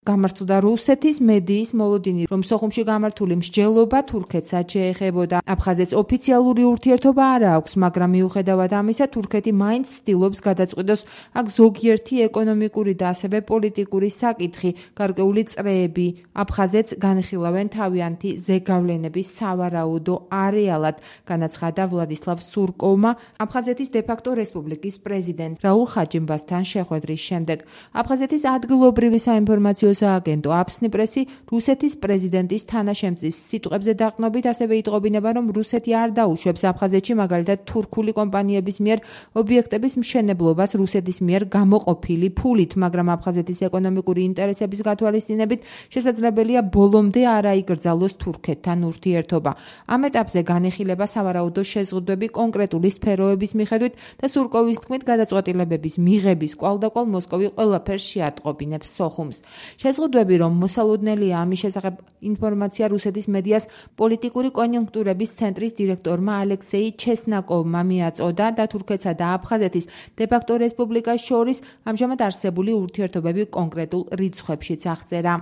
გამართლდა რუსეთის მედიის მოლოდინი, რომ სოხუმში გამართული მსჯელობა თურქეთსაც შეეხებოდა. აფხაზეთს ოფიციალური ურთიერთობა არ აქვს, მაგრამ მიუხედავად ამისა, თურქეთი მაინც ცდილობს გადაწყვიტოს აქ ზოგიერთი ეკონომიკური და ასევე პოლიტიკური საკითხი, გარკვეული წრეები. აფხაზეთს განხილავენ თავიანთი ზეგავლენების სავარაუდო არეალად, განაცხადა ვლადისლავ სურკოვმა აფხაზეთის დე-ფაქტო რესპუბლიკის პრეზიდენტ რაულ ხაჯიმბასთან შეხვედრის შემდეგ. აფხაზეთის ადგილობრივი საინფორმაციო სააგენტო აფსნიპრესი რუსეთის პრეზიდენტის თანაშემწის სიტყვებზე დაყრდნობით ასევე იტყობინება, რომ რუსეთი არ დაუშვებს აფხაზეთში მაგალითად თურქული კომპანიების მიერ ობიექტების მშენებლობას რუსეთის მიერ გამოყოფილი ფულით, მაგრამ აფხაზეთის ეკონომიკური ინტერესების გათვალისწინებით შესაძლებელია ბოლომდე არ აიკრძალოს თურქეთთან ურთიერთობა. ამ ეტაპზე განეხილება სავარაუდო შეზღუდვები კონკრეტული სფეროების მიხედვით და სურკოვის თქმით გადაწყვეტილებების მიღების კვალდაკვალ მოსკოვი ყველაფერს შეატყობინებს სოხუმს. შეზღუდვები, რომ მოსალოდნელია ამის შესახებ ინფორმაცია რუსეთის მედიას პოლიტიკური კონიუნქტურების ცენტრის დირექტორმა ალექსეი ჩესნაკოვმა მიაწოდა და თურქეთსა და აფხაზეთის დე-ფაქტო რესპუბლიკას შორის ამჟამად არსებული ურთიერთობები კონკრეტულ რიცხვებშიც აღწერა.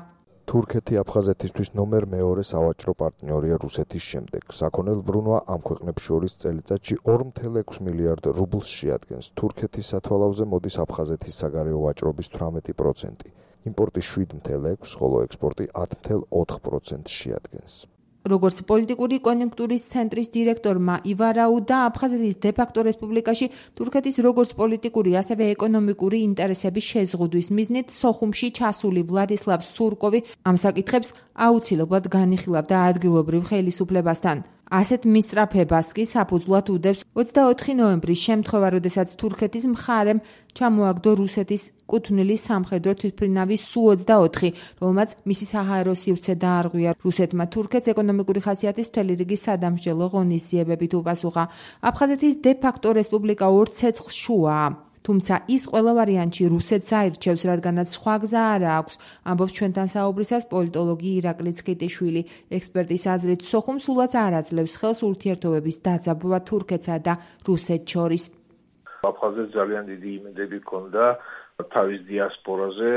თურქეთი აფხაზეთისთვის ნომერ მეორე სავაჭრო პარტნიორია რუსეთის შემდეგ. საქონელ ბრუნვა ამ ქვეყნებს შორის წელიწადში 2.6 მილიარდ რუბლს შეადგენს. თურქეთის სათვალავზე მოდის აფხაზეთის საგარეო ვაჭრობის 18%. იმპორტი 7.6, ხოლო ექსპორტი 10.4% შეადგენს. როგორც პოლიტიკური კონიუნქტურის ცენტრის დირექტორმა ივარაუდა, აფხაზეთის დე-ფაქტო რესპუბლიკაში თურქეთის როგორც პოლიტიკური, ასევე ეკონომიკური ინტერესების შეზღუდვის მიზნით სოხუმში ჩასული ვლადისლავ სურკოვი ამ საკითხებს აუცილებლად განიხილავდა ადგილობრივ ხელისუფლებასთან. ასეთ მისწრაფებას კი საფუძვლად უდევს 24 ნოემბრის შემთხვევა, როდესაც თურქეთის მხარემ ჩამოაგდო რუსეთის კუთვნილი სამხედრო თვითმფრინავის Su-24, რომელმაც მისი საჰაერო სივრცე დაარღვია. რუსეთმა თურქეთს ეკონომიკური ხასიათის მთელი რიგი სადამსჯელო ღონისძიებებით უპასუხა. აფხაზეთის დე-ფაქტო რესპუბლიკა ორ ცეცხლს შუაა. თუმცა ის ყველა ვარიანტში რუსეთს აირჩევს, რადგანაც სხვა გზა არ აქვს, ამბობს ჩვენთან საუბრისას პოლიტოლოგი ირაკლი ცქიტიშვილი. ექსპერტის აზრით, სოხუმ სულაც არ აძლევს ხელს ურთიერთობების დაძაბვა თურქეთსა და რუსეთს შორის. აფხაზეთს ძალიან დიდი იმედები ჰქონდა თავის დიასპორაზე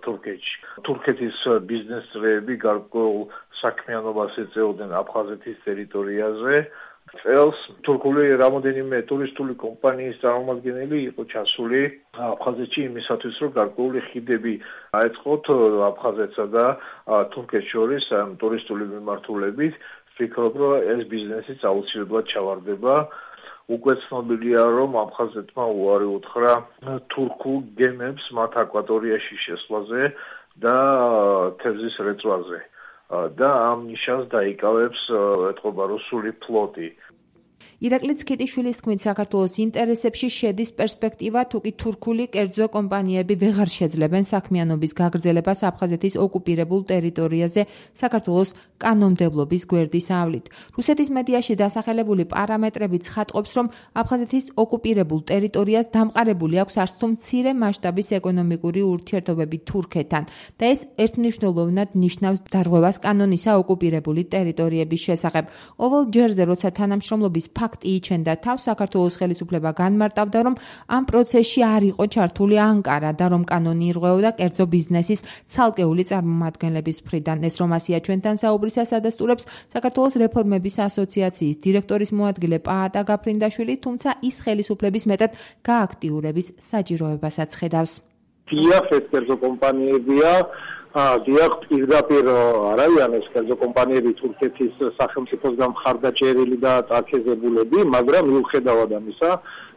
თურქეთში. თურქეთის ბიზნესმენები გარკვეულ საქმიანობას ეწეოდნენ აფხაზეთის ტერიტორიაზე. წელს თურქული რამოდენიმე ტურისტული კომპანიის წარმომადგენელი იყო ჩასული აფხაზეთში იმისათვის, რომ გარკვეული ხიდები აეწყოთ აფხაზეთსა და თურქეთს შორის ტურისტული მიმართულებით. ვფიქრობ, რომ ეს ბიზნესიც აუცილებლად ჩავარდება. უკვე ცნობილია, რომ აფხაზეთმა უარი უთხრა თურქულ გემებს მათ აკვატორიაში შესვლაზე და თევზის რეწვაზე. და ამ ნიშანს დაიკავებს ეთყობა რუსული ფლოტი. ირაკლი ცქიტიშვილის თქმით, საქართველოს ინტერესებში შედის პერსპექტივა, თუკი თურქული კერძო კომპანიები ვეღარ შეძლებენ საქმიანობის გაგრძელებას აფხაზეთის ოკუპირებულ ტერიტორიაზე საქართველოს კანონმდებლობის გვერდის ავლით. რუსეთის მედიაში დასახელებული პარამეტრები ცხადყოფს, რომ აფხაზეთის ოკუპირებულ ტერიტორიას დამყარებული აქვს არც თუ მცირე მასშტაბის ეკონომიკური ურთიერთობები თურქეთთან და ეს ერთმნიშვნელოვნად ნიშნავს დარღვევას კანონისა ოკუპირებული ტერიტორიების შესახებ. ყოველ ჯერზე, როცა თანამშრომლობის ფაქტი იჩენდა თავს, საქართველოს ხელისუფლება განმარტავდა, რომ ამ პროცესში არ იყო ჩართული ანკარა და რომ კანონი ირღვეოდა კერძო ბიზნესის ცალკეული წარმომადგენლების მხრიდან. ეს რომ ასია ჩვენთან საუბრისას ადასტურებს საქართველოს რეფორმების ასოციაციის დირექტორის მოადგილე პაატა გაფრინდაშვილი, თუმცა ის ხელისუფლების მეტად გააქტიურების საჭიროებასაც ხედავს. დიახ, ეს კერძო კომპანიებია, დიახ, პირდაპირ არიან ეს კერძო კომპანიები თურქეთის სახელმწიფოსგან მხარდაჭერილი და წარქეზებულები, მაგრამ მიუხედავად ამისა,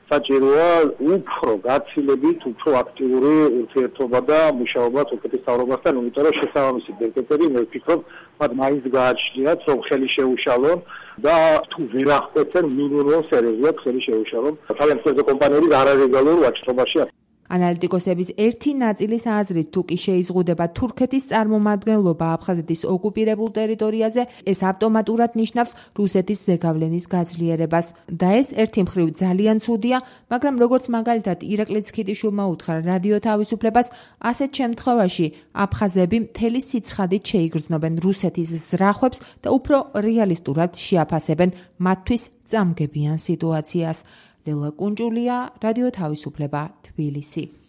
საჭიროა უფრო გაცილებით, უფრო აქტიური ურთიერთობა და მუშაობა თურქეთის მთავრობასთან, იმიტომ რომ შესაბამისი დეპუტატები, მე ვფიქრობ, მათ მაინც გააჩნიათ, რომ ხელი შეუშალონ და თუ ვერ აღკვეცენ, მინიმუმ სერიოზულად ხელი შეუშალონ თავიანთი კერძო კომპანიების არალეგალურ ვაჭრობაში. ანალიტიკოსების ერთი ნაწილის აზრით, თუ კი შეიზღუდება თურქეთის წარმომადგენლობა აფხაზეთის ოკუპირებულ ტერიტორიაზე, ეს ავტომატურად ნიშნავს რუსეთის ზეგავლენის გაძლიერებას. და ეს ერთი მხრივ ძალიან ცუდია, მაგრამ როგორც მაგალითად ირაკლი ცქიტიშვილმა უთხრა რადიო თავისუფლებას, ასეთ შემთხვევაში აფხაზები მთელი სიცხადით შეიგრძნობენ რუსეთის ზრახვებს და უფრო რეალისტურად შეაფასებენ მათთვის წამგებიან სიტუაციას. ლელა კუნჭულია, რადიო თავისუფლება, თბილისი.